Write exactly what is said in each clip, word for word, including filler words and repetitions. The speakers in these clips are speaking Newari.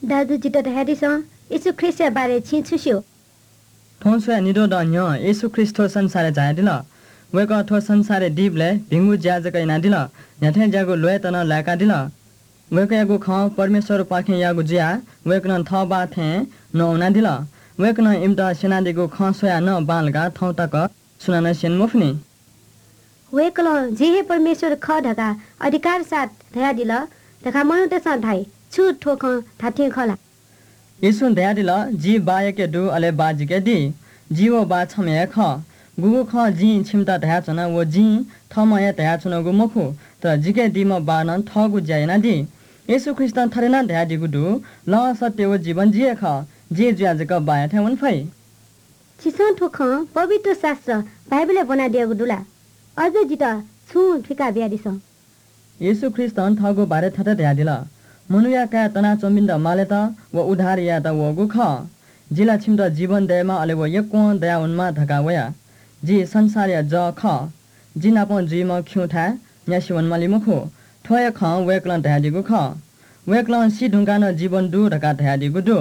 दाजु, जितः धयादिसँ, येशू ख्रीष्टया बारे छिं छु स्यू? थौं स्वयाः निद्वः दँ न्ह्यः येशू ख्रीष्ट थ्व संसारय् झायादिल। वय्कः थ्व संसारय् दीबलय् भिंगु ज्या जक यानादिल, न्ह्याथें ज्याःगु ल्वय्त नं लाय्कादिल। वय्कःयागु खँ परमेश्वरपाखें याःगु जुयाः वय्कलं थः बाः थें नवानादिल। वय्कलं इमित स्यनादीगु खँ स्वयाः नं बांलाकाः थौं तक सुनानं स्यने मफुनि। वय्कलं जि हे परमेश्वर खः धकाः अधिकारया साथ धयादिल धकाः मनूतय्सं धाइ। छु थ्व खँ धात्थें खः ला? येशूं धयादिल, जि बाःयाके दु, अले बाः जिके दी। जि व बाः छम्ह हे खः। गुगु खँ जिं छिमित धयाच्वना, व जिं थःम्हं हे धयाच्वनागु मखु, तर जिके दीम्ह बाःनं थःगु ज्या यानादी। येशू ख्रीष्टं थथे नं धयादीगु दु, लँ, सत्य व जीवन जि हे खः। जि जुयाः जक बाःयाथाय् वने फइ। छिसं थ्व खँ पवित्र शास्त्र बाइबलय् ब्वनादियागु दु ला? अझ जितः छुं थुइका बियादिसँ। येशू ख्रीष्टं थःगु बारे थथे धयादिल, मनूया काय् तनाच्वंपिन्त मालेत व उद्धार यायेत वःगु खः। जि ला छिमित जीवन दयेमा, अले व यक्वं दयावनेमा धकाः वया। जि संसारया जः खः। जि नाप जुइम्ह खिउँथाय् न्यासि वनेमाली मखु। थ्व हे खँ वय्कलं धयादीगु खः। वय्कलं सी धुंकाः नं जीवन दु धकाः धयादीगु दु।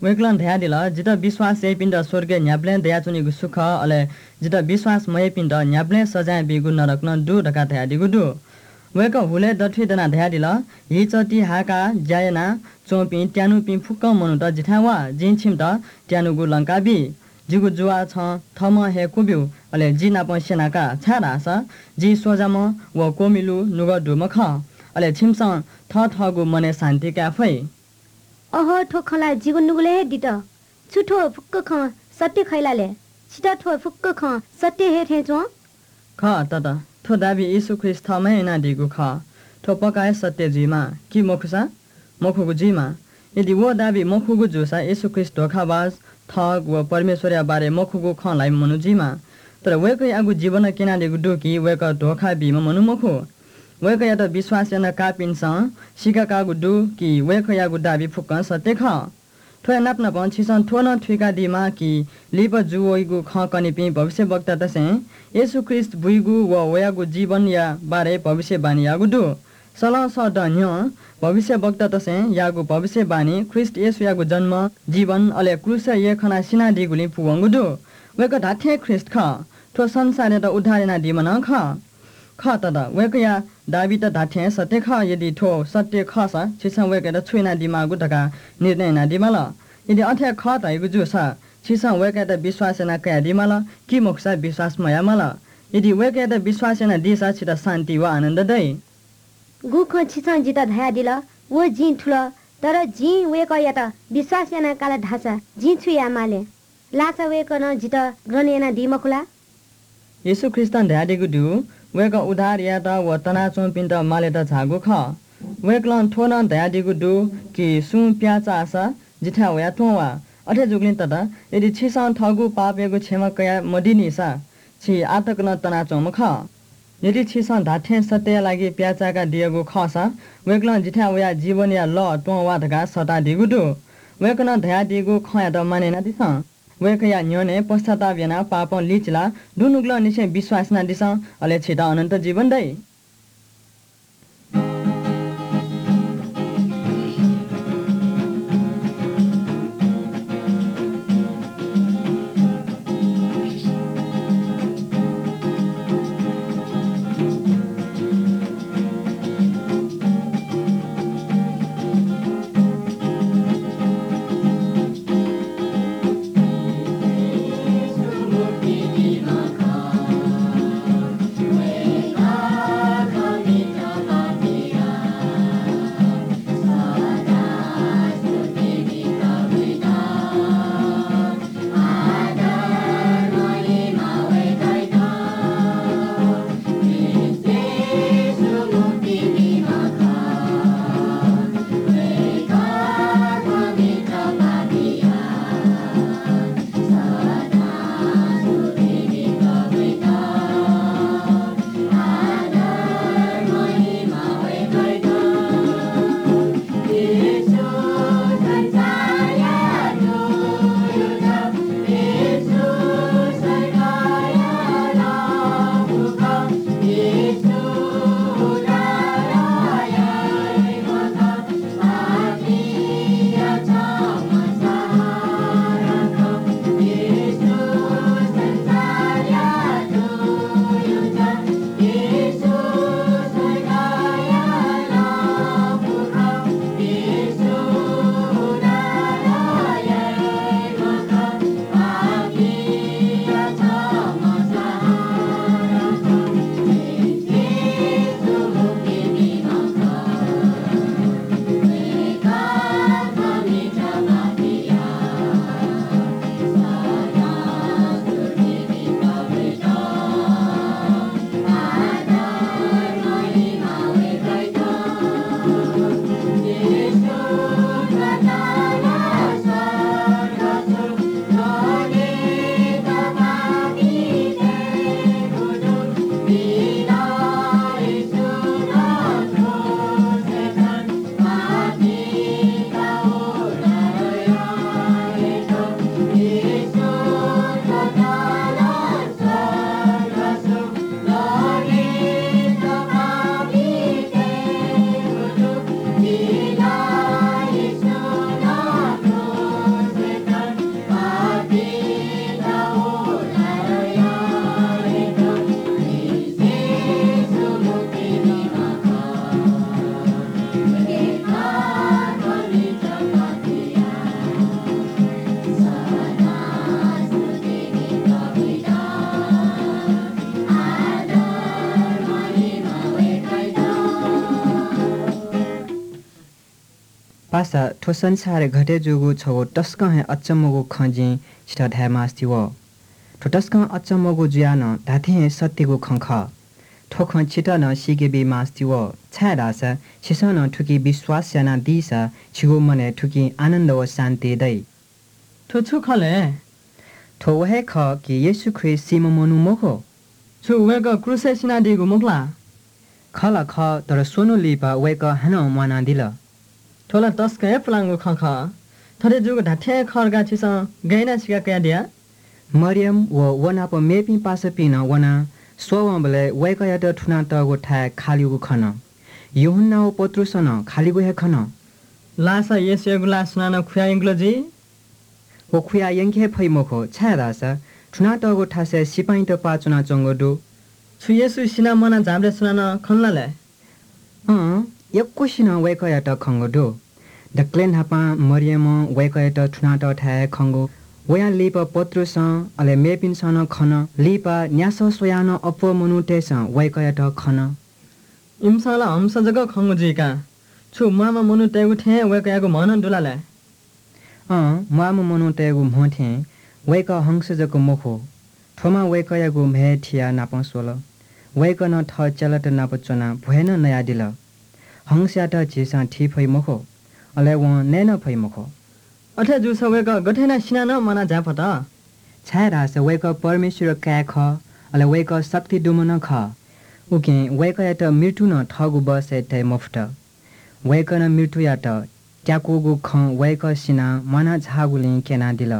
वय्कलं धयादिल, जितः विश्वास याइपिन्त स्वर्गय् न्ह्याबलें दयाच्वनीगु सुख, अले जितः विश्वास मयाइपिन्त न्ह्याबलें सजाँय बीगु नरक नं दु धकाः धयादीगु दु। वय्कः हुलय् दथुइ दनाः धयादिल, हिचःति हाय्काः ज्या यानाच्वंपिं त्यानुपिं फुक्कं मनूत जिथाय् वा, जिं छिमित त्यानुगु लंका बी। जिगु जुवाः छं थःम्हं हे क्वब्यु, अले जि नाप स्यना का, छाय्धाःसा जि सोजाम्ह व क्वमिलु नुगः दुम्ह खः। अले छिमिसं थःथःगु मनय् शान्ति काये फइ। अहो, थ्व खँ ला जिगु नुगलय् हे दित। छु थ्व फुक्क खँ सत्य खइ ला ले? छितः थ्व फुक्क खँ सत्य हे थें च्वं? खः तत, थ्व दाबी येशू ख्रीष्ट थःम्हं हे यानादीगु खः। थ्व पक्का हे सत्य जुइमाः कि मखुसा मखुगु जुइमाः। यदि व दाबी मखुगु जूसा येशू ख्रीष्ट धोखाबाज, ठग व परमेश्वरया बारे मखुगु खँ ल्हाइम्ह मनू जुइमाः। तर वय्कःयागु जीवनं क्यनादीगु दु कि वय्कः धोखा बीम्ह मनू मखु। वय्कःयात विश्वास याना काःपिन्सं सीकाकाःगु दु कि वय्कःयागु दाबी फुक्कं सत्य खः। थ्वया नाप नापं छिसं थ्व नं थुइकादीमाः कि लिपा जूवइगु खँ कनीपिं भविष्यवक्तातय्सं येशू ख्रीष्ट बुइगु व वयागु जीवनया बारे भविष्यवाणी याःगु दु। सलं सः दँ न्ह्यः भविष्यवक्तातय्सं याःगु भविष्यवाणी ख्रीष्ट येशूयागु जन्म, जीवन, अले क्रूसय् यख्खानाः सिनादीगुलिं पूवंगु दु। वय्कः धात्थें ख्रीष्ट खः। थ्व संसारयात उद्धार यानादीम्ह नं खः। खः तत, वय्कःया दाबीत धात्थें सत्य खः। यदि थ्व सत्य खःसा छिसं वय्कःयात छु यानादीमाःगु धकाः निर्णय यानादीमाल। यदि अथे खः धइगु जूसा छिसं वय्कःयात विश्वास याना कयादीमाल कि मखुसा विश्वास मयायेमाल। यदि वय्कःयात विश्वास यानादीसा छितः शान्ति व आनन्द दइ। गु खँ छिसं जितः धयादिल, व जिं थुल, तर जिं वय्कःयात विश्वास याना काल धाःसा जिं छु यायेमाले? लासा वय्कलं जितः ग्रहण यानादी मखु ला? येशू ख्रीष्टं धयादीगु दु, वय्कः उद्धार यायेत व तनाच्वंपिन्त मालेत झाःगु खः। वय्कलं थ्व नं धयादीगु दु कि सुं प्याः चाःसा जिथाय् वयाः त्वँ वा। अथे जूगुलिं तत, यदि छिसं थःगु पापयागु क्षमा कया मदीनिसा छि आः तक नं तनाच्वंम्ह खः। यदि छिसं धात्थें सत्यया लागि प्याः चाय्कादियागु खःसा वय्कलं जिथाय् वयाः जीवनया लः त्वँ वा धकाः सःतादीगु दु। वय्कलं धयादीगु खँयात मानय् यानादिसँ। वय्कःया न्ह्यःने पश्चाताप यानाः पापं लिचिलाः दुनुगलंनिसें विश्वास यानादिसँ, अले छित अनन्त जीवन दइ। पासा, थ्व संसारय् घटे जूगु छगू तसकं हे अचम्मगु खँ जिं छितः धायेमास्ति वः। थ्व तसकं अचम्मगु जुयाः नं धात्थें हे सत्यगु खँ खः। थ्व खँ छितः नं सीके बीमास्ति वः, छाय्धाःसा छिसं नं थुकी विश्वास यानादीसा छिगु मनय् थुकिं आनन्द व शान्ति दइ। थ्व छु खः ले? थ्व व हे खः कि येशू ख्रीष्ट सीम्ह मनू मखु। छु वय्कः क्रूसय् सिनादीगु मखु ला? खः ला खः, तर स्वन्हु लिपा वय्कः हानं म्वानादिल। थ्व ला तसकं हे पुलांगु खँ खः। थथे जूगु धात्थें हे खः धकाः छिसं गय् यानाः सिका कयादिया? मरियम व व नाप मेपिं पासापिं नं वनाः स्वःवंबलय् वय्कःयात थुनातःगु थाय् खालिगु खन। यूहन्ना व पत्रुसं नं खालिगु हे खन। लाःसा येशूयागु लाः सुनानं खुया यंकल जुइ? व खुया यंके हे फइ मखु, छाय्धाःसा थुनातःगु थासय् सिपाइँत पाः च्वनाच्वंगु दु। छु येशू सिनाः म्वाना झाःबलय् सुनानं खन ला ले? अँ, यक्वसिनं वय्कःयात खंगु दु। दकलय् न्हापां मरियमं वय्कःयात थुनातःथाय् हे खंगु। वयां लिपा पत्रुसं, अले मेपिन्सं नं खन। लिपा न्यासः स्वयाः नं अप्वः मनूतय्सं वय्कःयात खन। इमिसं ला हंस जक खंगु जुइ का। छु म्वाःम्ह मनूतय्गु थें वय्कःयागु म्ह नं दु ला ले? अँ, म्वाःम्ह मनूतय्गु म्ह थें वय्कः हंस जक मखु, थ्वमा वय्कःयागु म्हय् थियाः नापं स्वल। वय्कलं थः चेलात नाप च्वनाः भ्वय् नं नयादिल। हंसयात झीसं थी फइ मखु, अले वं नये नं फइ मखु। अथे जूसा वय्कः गथे यानाः सिनाः नं म्वाना झाये फत? छाय्धाःसा वय्कः परमेश्वरया काय् खः, अले वय्कः शक्ति दुम्ह नं खः। उकिं वय्कःयात मृत्युं नं थःगु बसय् तये मफुत। वय्कलं मृत्युयात त्याकूगु खँ वय्कः सिनाः म्वाना झाःगुलिं क्यनादिल।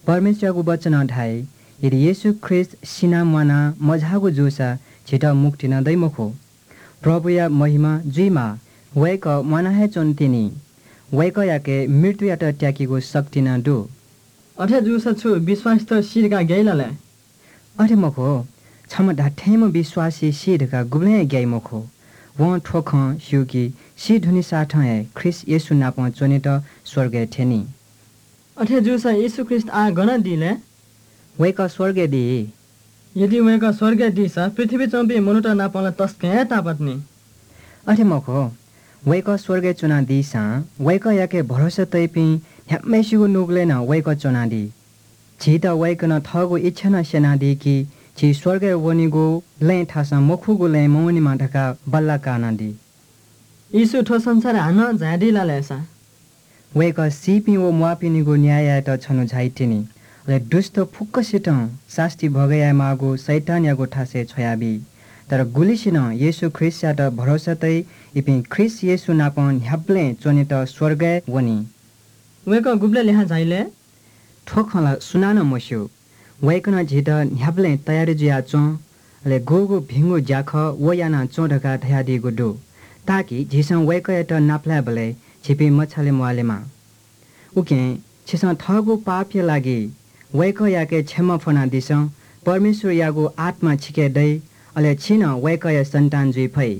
परमेश्वरयागु वचनं धाइ, यदि येशू ख्रीष्ट सिनाः म्वाना मझाःगु जूसा झीत मुक्ति नं दइ मखु। प्रभुया महिमा जुइमाः, वय्कः म्वाना हे च्वन तिनि। वय्कःयाके मृत्युयात त्याकीगु शक्ति नं दु। अथे जूसा छु विश्वासीत सी धकाः ग्याइ ला ले? अथे मखु, छम्ह धात्थेंम्ह विश्वासी सी धकाः गुबलें हे ग्याइ मखु। वं थ्व खँ स्यू कि सी धुनेसाथं हे ख्रीष्ट येशू नाप च्वनेत स्वर्गय् थ्यनी। अथे जूसा येशू ख्रीष्ट आः गन दी ले? वय्कः स्वर्गय् दी। यदि वय्कः स्वर्गय् दीसा पृथ्वीइ च्वंपिं मनूत नाप ला तसकं हे तापात नि। अथे मखु, वय्कः स्वर्गय् च्वनादीसां वय्कःयाके भरोसा तइपिं न्ह्याम्हय्सिगु नुगलय् नं वय्कः च्वनादी। झीत वय्कलं थःगु इच्छा नं स्यनादी कि झी स्वर्गय् वनेगु लँय् थासं मखुगु लँय् मवनेमा धकाः बल्लाः कानादी। येशू थ्व संसारय् हानं झायादी ला ले सा? वय्कः सीपिं व म्वाःपिनिगु न्याय यायेत छन्हु झाइतिनि। अले दुष्ट फुक्कसितं सास्ती भोग यायेमाःगु शैतानयागु थासय् छ्वयाबी। तर गुलिसिनं येशू ख्रीष्टयात भरोसा तइ, इपिं ख्रीष्ट येशू नाप न्ह्याबलें च्वनेत स्वर्गय् वनी। वय्कः गुबलय् लिहां झाइ ले? थ्व खँ ला सुनानं मस्यू। वय्कलं झीत न्ह्याबलें तयारी जुयाच्वँ, अले गुगु भिंगु ज्याखः व यानाच्वँ धकाः धयादीगु दु, ताकि झीसं वय्कःयात नापलायेबलय् झीपिं मछाले म्वालेमा। उकिं छिसं थःगु पापया लागि वय्कःयाके क्षमा फ्वनादिसँ, परमेश्वरयागु आत्मा छिके दइ, अले छि नं वय्कःया सन्तान जुइ फइ।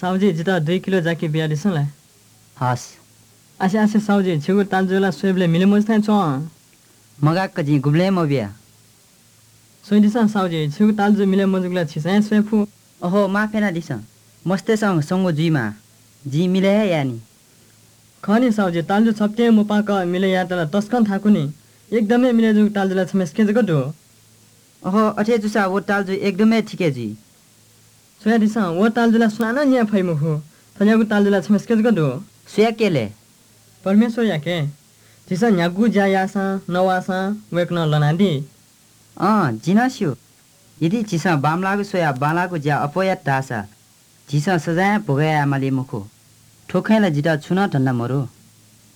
साहुजी, जितः दुई किलो जाकि बियादिसँ ला? हस्। आसे, आसे साहुजी, छिगु तालजु ला स्वयेबलय् मिले मजू थें च्वं। मगाक्क जिं गुबलें मबिया। स्वयादिसँ साहुजी, छिगु तालजु मिले मजूगु ला छिसं हे स्वये फु। अहो, माफ यानादिसँ। मस्तय्‌सं स्वंगू जुइमाः। जिं मिले हे याये नि। खः नि साहुजी, तालजु छप्तिं मुपाक मिले यायेत ला तसकं थाकु नि। एकदम हे मिले जूगु तालजु ला छम्हेसिके जक दु। अहो, अथे जूसा व तालजु एकदम हे थिके जुइ। स्वयादिसँ, व तालजु ला सुनानं न्याये फइ मखु। थज्याःगु तालजु ला छम्हेसिके जक दु। सुयाके ले? परमेश्वरयाके। झीसं न्ह्यागु ज्या याःसां नवाःसां वय्कलं लनादी। अँ, जिं नं स्यू। यदि झीसं बांमलाःगु स्वयाः बांलाःगु ज्या अप्वः यात धाःसा झीसं सजाँय भोग याये माली मखु। थ्व खँय् ला जितः छुं नं धन्दा मदु,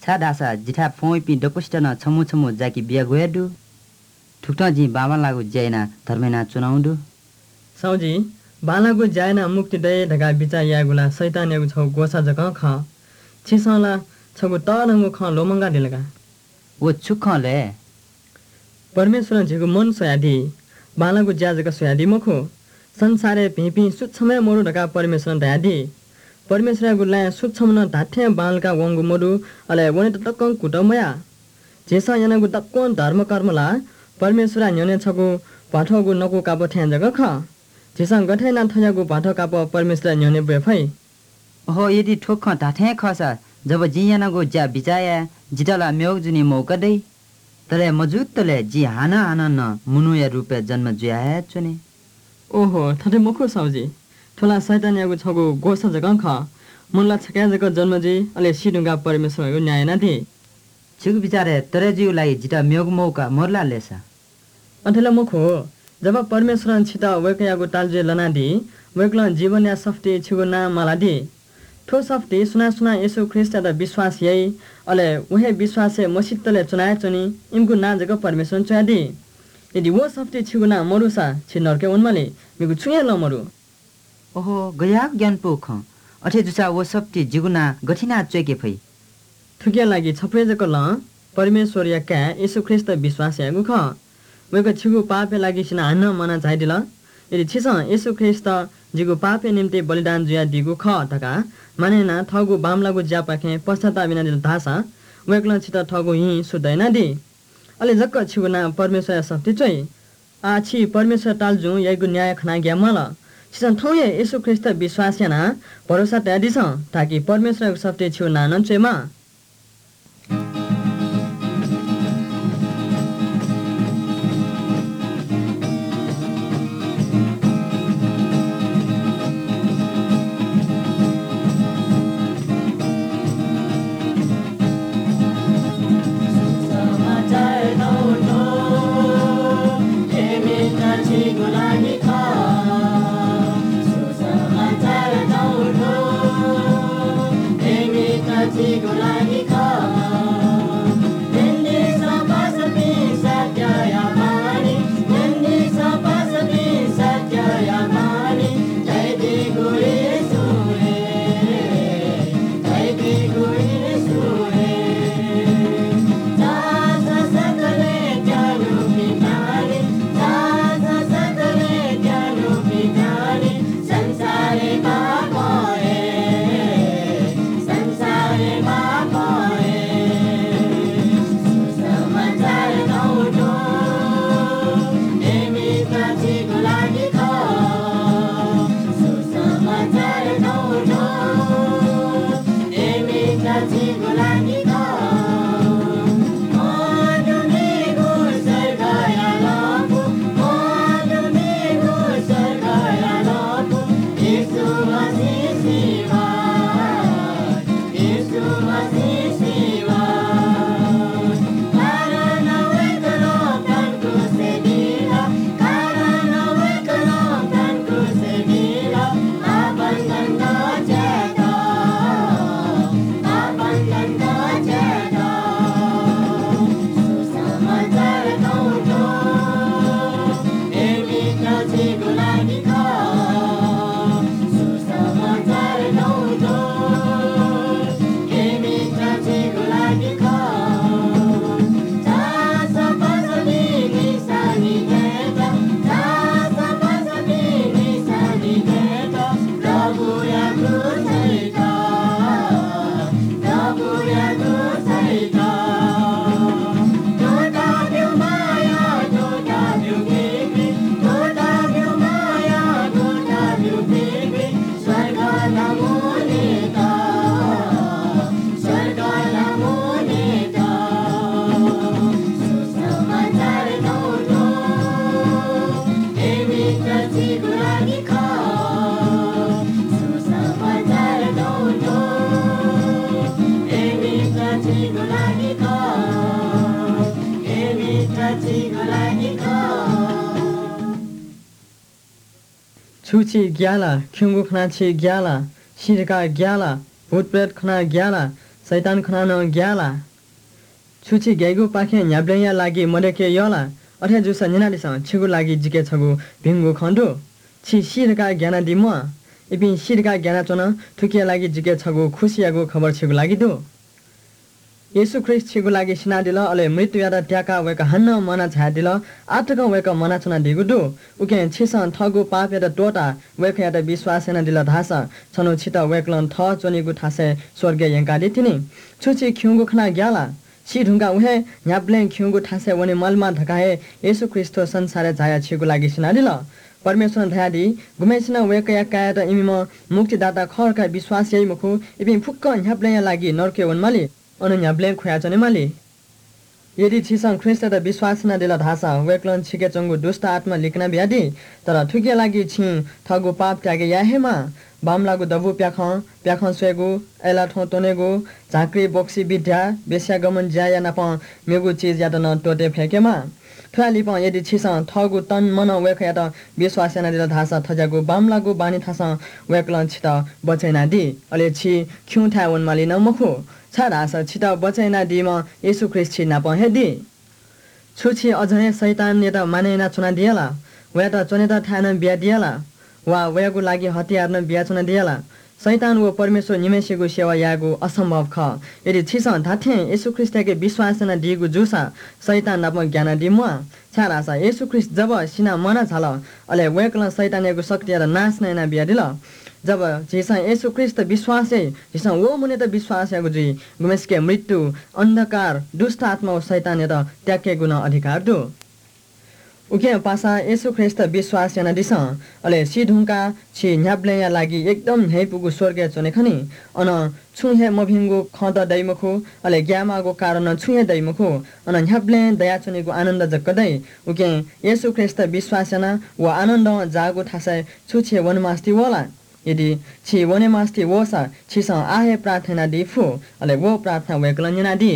छाय्धाःसा जिथाय् फ्वंवइपिं दक्वसित नं छम्हु छम्हु जाकि बियागु हे दु। थुकथं जिं बांबांलाःगु ज्या यानाः धर्म यानाच्वनागु दु। साहुजी, बांलाःगु ज्या यानाः मुक्ति दये धकाः बिचाः यायेगु ला शैतानयागु छगू ग्वसाः जकं खः। छिसं ला छगू तःधंगु खँ ल्वःमंकादिल का। व छु खँ ले? परमेश्वरं झीगु मन स्वयादी। बांलाःगु ज्या जक स्वयादी मखु। संसारय् भिंपिं सुच्छम्ह हे मदु धकाः परमेश्वरं धयादी। परमेश्वरयागु लँय् सुच्छम्ह नं धात्थें बांलाकाः वंगु मदु, अले वनेत तकं कुतः मयाः। झीसं यानागु दक्वं धर्मकर्म ला परमेश्वरया न्ह्यःने छगू भ्वाथःगु नकु कापः थें जक खः। झीसं गथे यानाः थज्याःगु भ्वाथः कापः परमेश्वरया न्ह्यःने ब्वये फइ? अहो, यदि थ्व खँ धात्थें खःसा, जब जिं यानागु ज्या बिचाः याये, जितः ला म्यःगु जुने मौका दइ। तर मजुतले जि हानं हानं नं मनूया रूपय् जन्म जुया हे च्वने। ओहो, थथे मखु साहुजी। थ्व ला शैतानयागु छगू ग्वसाः जकं खः। मनू ला छकः जक जन्म जुइ, अले सी धुंकाः परमेश्वरयागु न्याय यानादी। छिगु बिचारय् तरे जुइगु लागि जितः म्यःगु मौका मदु ला लय्सा? अथे ला मखु। जब परमेश्वरं छितः वय्कःयागु तालजुइ लनादी, वय्कलं जीवनया सफुती छिगु नां मालादी। थ्व सफुती सुनां सुनां येशू ख्रीष्टयात विश्वास याइ, अले व हे विश्वासय् मसितले च्वना हे च्वनी, इमिगु नां जक परमेश्वरं च्वयादी। यदि व सफुती छिगु नां मदुसा, छि नरकय् वनेमाली, मेगु छुं हे लँ मदु। ओहो, गज्याःगु ग्यानापु खँ। अथे जूसा व सफुती जिगु नां गथे यानाः च्वय्के फइ? थुकिया लागि छपु हे जक लँ, परमेश्वरया काय् येशू ख्रीष्ट विश्वास यायेगु खः। वय्कः छिगु पापया लागि सिनाः हानं म्वाना झायादिल। यदि छिसं येशू ख्रीष्ट जिगु पापया निंतिं बलिदान जुयादीगु खः धकाः मानय् यानाः थःगु बांमलाःगु ज्यापाखें पश्चाताप यानादिल धाःसा, वय्कलं छितः थःगु हिं शुद्ध यानादी। अले जक छिगु नां परमेश्वरया सफुती च्वइ। आः छि परमेश्वरया तालजुं याइगु न्याय खनाः ग्याये म्वाल। छिसं थौं हे येशू ख्रीष्ट विश्वास यानाः भरोसा तयादिसँ, ताकि परमेश्वरयागु सफुती छिगु नां नं च्वयेमाः। छु छि ग्याः ला? खिउँगु खनाः छि ग्याः ला? सी धकाः ग्याः ला? भूतप्रेत खनाः ग्याः ला? शैतान खनाः नं ग्याः ला? छु छि ग्याइगुपाखें न्ह्याबलेंया लागि मदय्के यः ला? अथे जूसा न्यनादिसँ, छिगु लागि जिके छगू भिंगु खँ दु। छि सी धकाः ग्यानादी म्वाः। इपिं सी धकाः ग्यानाच्वन, थुकिया लागि जिके छगू खुसियागु खबर छिगु लागि दु। येशू ख्रीष्ट छिगु लागि सिनादिल, अले मृत्युयात त्याकाः वय्कः हानं म्वाना झायादिल। आः तकं वय्कः म्वानाच्वनादीगु दु। उकिं छिसं थःगु पापयात त्वःताः वय्कःयात विश्वास यानादिल धाःसा छन्हु छितः वय्कलं थः च्वनीगु थासय् स्वर्गय् यंकादी तिनि। छु छि खिउँगु खनाः ग्याः ला? सी धुंकाः व हे न्ह्याबलें खिउँगु थासय् वने मालेमा धकाः हे येशू ख्रीष्ट थ्व संसारय् झायाः छिगु लागि सिनादिल। परमेश्वरं धयादी, गुम्हय्सिनं वय्कःया काय्‌यात इमिम्ह मुक्तिदाता खः धकाः विश्वास याइ मखु, इपिं फुक्कं न्ह्याबलेंया लागि नरकय् वनेमाली, अन न्ह्याबलें खुयाच्वनेमाली। यदि छिसं ख्रीष्टयात विश्वास यानादिल धाःसा वय्कलं छिके च्वंगु दुष्‍ट आत्‍मा लिकना बियादी। तर थुकिया लागि छिं थःगु पाप त्यागे याये हे माः। बांमलाःगु दबू प्‍याखं, प्‍याखं स्वयेगु, अय्‌लाथ्‍वँ त्‍वनेगु, झाँक्री बोक्‍सी बिद्‍या, वेश्‍यागमन ज्‍याया नाप मेगु चिजयात नं त्‍वःते फय्‌केमाः। थ्‍वया लिपं यदि छिसं थःगु तन मनं वय्‌कःयात विश्‍वास यानादिल धाःसा थज्‍याःगु बांमलाःगु बानी थासं वय्‌कलं छितः बचय् यानादी। अले छि खिउँथाय् वनेमाली नं मखु, छाय्‌धाःसा छितः बचय् यानादीम्‍ह येशू ख्रीष्‍ट छि नाप हे दी। छु छि अझ हे शैतानयात मानय् यानाच्‍वनादिया ला? वयात च्‍वनेत थाय् नं बियादिया ला? वा वयागु लागि हतियार नं बियाच्‍वनादिया ला? शैतान व परमेश्‍वर निम्‍हय्‌सिगु सेवा यायेगु असम्‍भव खः। यदि छिसं धात्‍थें येशू ख्रीष्‍टयाके विश्‍वास यानादीगु जूसा शैतान नाप ग्‍यानादी म्‍वाः, छाय्‌धाःसा येशू ख्रीष्‍ट जब सिनाः म्‍वाना झाल, अले वय्‌कलं शैतानयागु शक्तियात नाश नं यानाबियादिल। जब झीसं येशू ख्रीष्‍टयात विश्‍वास याइ, झीसं व मनूयात विश्‍वास याःगु जुइ, गुम्‍हय्‌सिके मृत्यु, अन्धकार, दुष्‍ट आत्‍मा व शैतानयात त्याकेगु नं अधिकार दु। उकिं पासा येशू ख्रीष्‍टयात विश्‍वास यानादिसँ, अले सी धुंकाः छि न्‍ह्याबलेंया लागि एकदम न्‍ह्यइपुगु स्‍वर्गय् च्‍वने खनी। अन छुं हे मभिंगु खँत दइ मखु, अले ग्‍यायेमाःगु कारण नं छुं हे दइ मखु। अन न्‍ह्याबलें दयाच्‍वनेगु आनन्‍द जक दइ। उकिं येशू ख्रीष्‍टयात विश्‍वास यानाः व आनन्दं जाःगु थासय् छु छि वनेमास्‍ति वः ला? यदि छि वनेमास्‍ति वःसा छिसं आः हे प्रार्थना यानादी फु, अले व प्रार्थना वय्‌कलं न्‍यनादी।